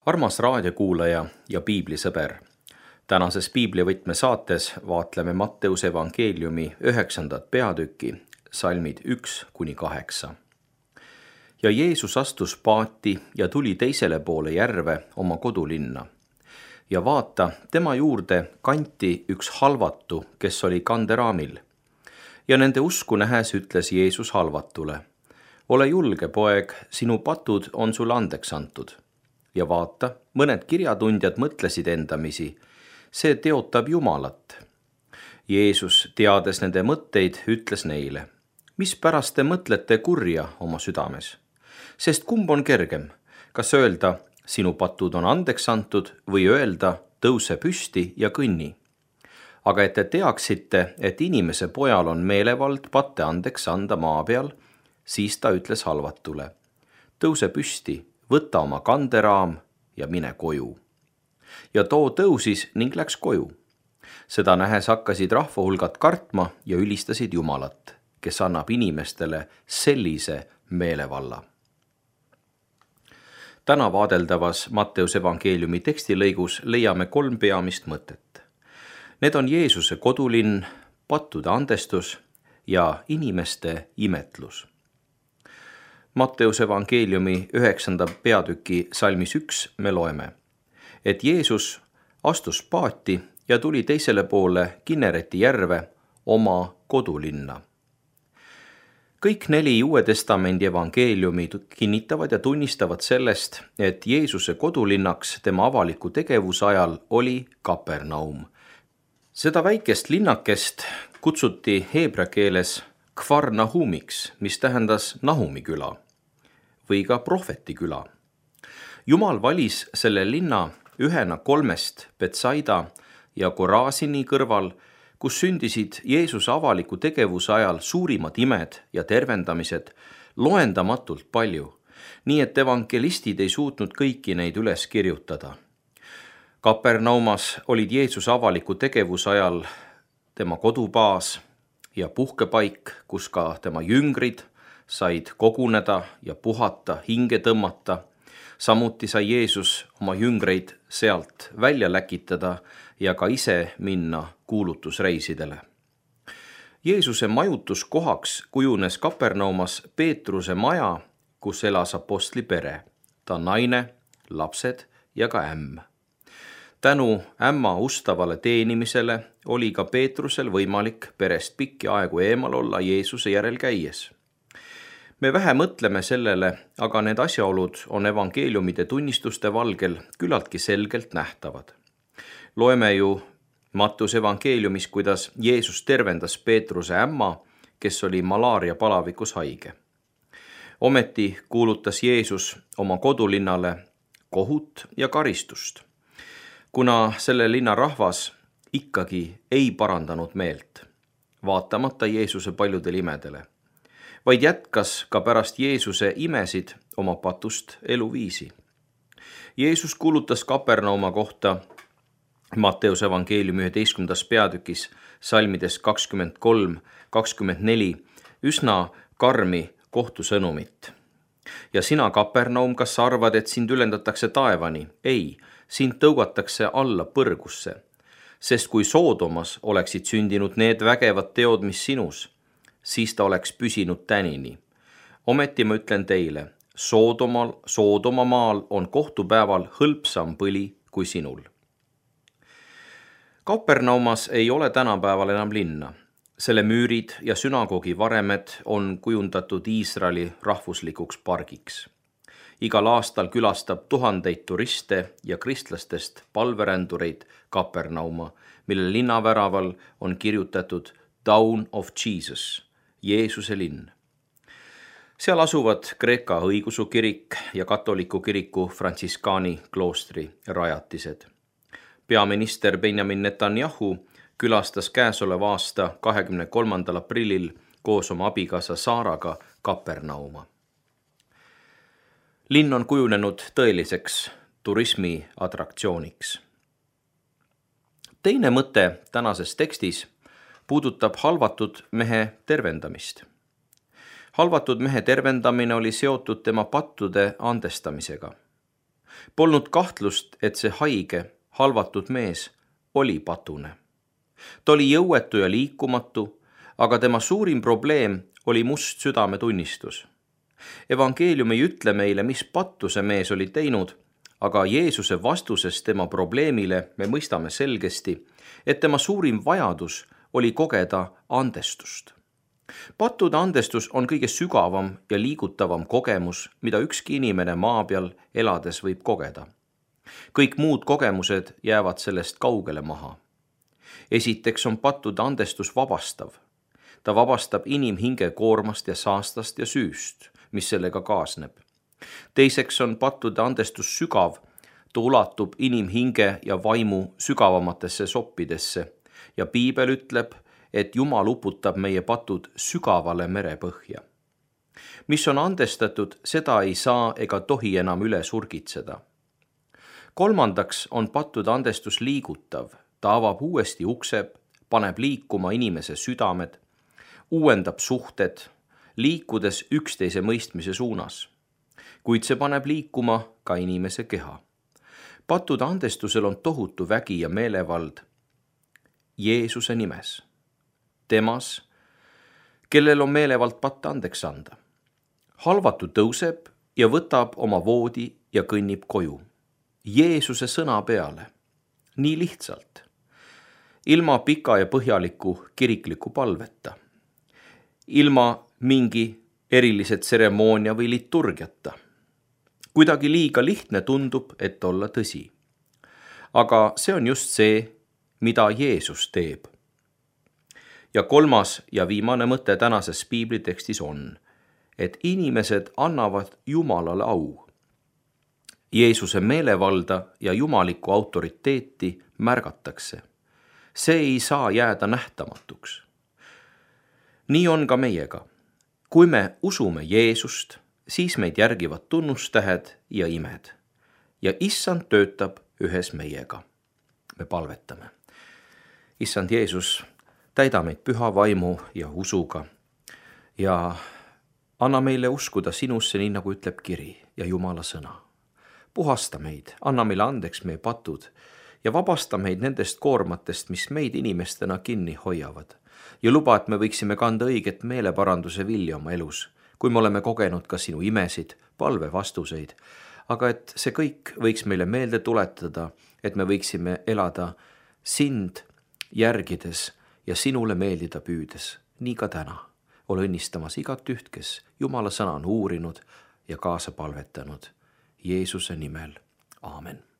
Armas raadiokuulaja ja piiblisõber. Tänases piiblivõtme saates vaatleme Matteuse evangeeliumi 9. peatükki, salmid 1-8. Ja Jeesus astus paati ja tuli teisele poole järve oma kodulinna. Ja vaata, tema juurde kanti üks halvatu, kes oli kanderaamil. Ja nende usku nähes ütles Jeesus halvatule: ole julge, poeg, sinu patud on sulle andeks antud. Ja vaata, mõned kirjatundjad mõtlesid endamisi, see teotab Jumalat. Jeesus, teades nende mõtteid, ütles neile: mispärast te mõtlete kurja oma südames? Sest kumb on kergem, kas öelda, sinu patud on andeks antud, või öelda, tõuse püsti ja kõnni? Aga et te teaksite, et inimese pojal on meelevald patte andeks anda maa peal, siis ta ütles halvatule: tõuse püsti, võta oma kanderaam ja mine koju. Ja too tõusis ning läks koju. Seda nähes hakkasid rahvahulgad kartma ja ülistasid Jumalat, kes annab inimestele sellise meelevalla. Täna vaadeldavas Matteuse evangeeliumi tekstilõigus leiame 3 peamist mõtet. Need on Jeesuse kodulinn, pattude andestus ja inimeste imetlus. Matteuse evangeeliumi 9. peatüki salmis 1 me loeme, et Jeesus astus paati ja tuli teisele poole Kinnereti järve oma kodulinna. Kõik 4 Uue Testamendi evangeeliumi kinnitavad ja tunnistavad sellest, et Jeesuse kodulinnaks tema avaliku tegevuse ajal oli Kapernaum. Seda väikest linnakest kutsuti heebrea keeles Kfar Nahumiks, mis tähendas Nahumi küla või ka prohveti küla. Jumal valis selle linna ühena 3 Betsaida ja Korasini kõrval, kus sündisid Jeesuse avaliku tegevuse ajal suurimad imed ja tervendamised loendamatult palju, nii et evangelistid ei suutnud kõiki neid üles kirjutada. Kapernaumas olid Jeesuse avaliku tegevuse ajal tema kodubaas ja puhkepaik, kus ka tema jüngrid said koguneda ja puhata, hinge tõmmata. Samuti sai Jeesus oma jüngreid sealt välja läkitada ja ka ise minna kuulutusreisidele. Jeesuse majutuskohaks kujunes Kapernaumas Peetruse maja, kus elas apostli pere, ta naine, lapsed ja ka ämm. Tänu ämma ustavale teenimisele oli ka Peetrusel võimalik perest pikki aegu eemal olla Jeesuse järel käies. Me vähe mõtleme sellele, aga need asjaolud on evangeeliumide tunnistuste valgel küllaltki selgelt nähtavad. Loeme ju Matteuse evangeeliumis, kuidas Jeesus tervendas Peetruse ämma, kes oli malaaria palavikus haige. Ometi kuulutas Jeesus oma kodulinnale kohut ja karistust, kuna selle linna rahvas ikkagi ei parandanud meelt, vaatamata Jeesuse paljudele imedele, vaid jätkas ka pärast Jeesuse imesid oma patust eluviisi. Jeesus kuulutas Kapernauma kohta Matteuse evangeeliumi 11. peatükis salmides 23-24 üsna karmi kohtusõnumit. Ja sina, Kapernaum, kas sa arvad, et sind ülendatakse taevani? Ei, sind tõugatakse alla põrgusse, sest kui Soodomas oleksid sündinud need vägevad teod, mis sinus, siis ta oleks püsinud tänini. Ometi ma ütlen teile, Soodoma maal on kohtupäeval hõlpsam põli kui sinul. Kapernaumas ei ole tänapäeval enam linna. Selle müürid ja sünagoogi varemed on kujundatud Iisraeli rahvuslikuks pargiks. Igal aastal külastab tuhandeid turiste ja kristlastest palverändureid Kapernauma, mille linnaväraval on kirjutatud Town of Jesus, Jeesuse linn. Seal asuvad Kreeka õigeusu kirik ja katoliku kiriku frantsiskaani kloostri rajatised. Peaminister Benjamin Netanyahu külastas käesoleva aasta 23. aprillil koos oma abikaasa Saaraga Kapernauma. Linn on kujunenud tõeliseks turismi atraktsiooniks. Teine mõte tänases tekstis puudutab halvatud mehe tervendamist. Halvatud mehe tervendamine oli seotud tema pattude andestamisega. Polnud kahtlust, et see haige, halvatud mees oli patune. Ta oli jõuetu ja liikumatu, aga tema suurim probleem oli must südametunnistus. Evangeelium ei ütle meile, mis pattu see mees oli teinud, aga Jeesuse vastuses tema probleemile me mõistame selgesti, et tema suurim vajadus oli kogeda andestust. Pattude andestus on kõige sügavam ja liigutavam kogemus, mida ükski inimene maa peal elades võib kogeda. Kõik muud kogemused jäävad sellest kaugele maha. Esiteks on pattude andestus vabastav. Ta vabastab inimhinge koormast ja saastast ja süüst, mis sellega kaasneb. Teiseks on pattude andestus sügav. Ta ulatub inimhinge ja vaimu sügavamatesse soppidesse ja Piibel ütleb, et Jumal uputab meie patud sügavale merepõhja. Mis on andestatud, seda ei saa ega tohi enam üle surgitseda. Kolmandaks on pattude andestus liigutav. Ta avab uuesti ukse, paneb liikuma inimese südamed, uuendab suhted, liikudes üksteise mõistmise suunas. Kuid see paneb liikuma ka inimese keha. Pattude andestusel on tohutu vägi ja meelevald Jeesuse nimes. Temas, kellel on meelevald patte andeks anda. Halvatu tõuseb ja võtab oma voodi ja kõnnib koju. Jeesuse sõna peale. Nii lihtsalt. Ilma pika ja põhjaliku kirikliku palveta. Ilma mingi erilise tseremoonia või liturgiata. Kuidagi liiga lihtne tundub, et olla tõsi. Aga see on just see, mida Jeesus teeb. Ja kolmas ja viimane mõte tänases piiblitekstis on, et inimesed annavad Jumalale au. Jeesuse meelevalda ja jumalikku autoriteeti märgatakse. See ei saa jääda nähtamatuks. Nii on ka meiega. Kui me usume Jeesust, siis meid järgivad tunnustähed ja imed. Ja Issand töötab ühes meiega. Me palvetame. Issand Jeesus, täida meid püha vaimu ja usuga ja anna meile uskuda sinusse, nii nagu ütleb kiri ja Jumala sõna. Puhasta meid, anna meile andeks meie patud ja vabasta meid nendest koormatest, mis meid inimestena kinni hoiavad. Ja luba, et me võiksime kanda õiget meeleparanduse vilja oma elus, kui me oleme kogenud ka sinu imesid, palvevastuseid, aga et see kõik võiks meile meelde tuletada, et me võiksime elada sind järgides ja sinule meeldida püüdes, nii ka täna. Ole õnnistamas igat üht, kes Jumala sõna on uurinud ja kaasa palvetanud. Jeesuse nimel. Aamen.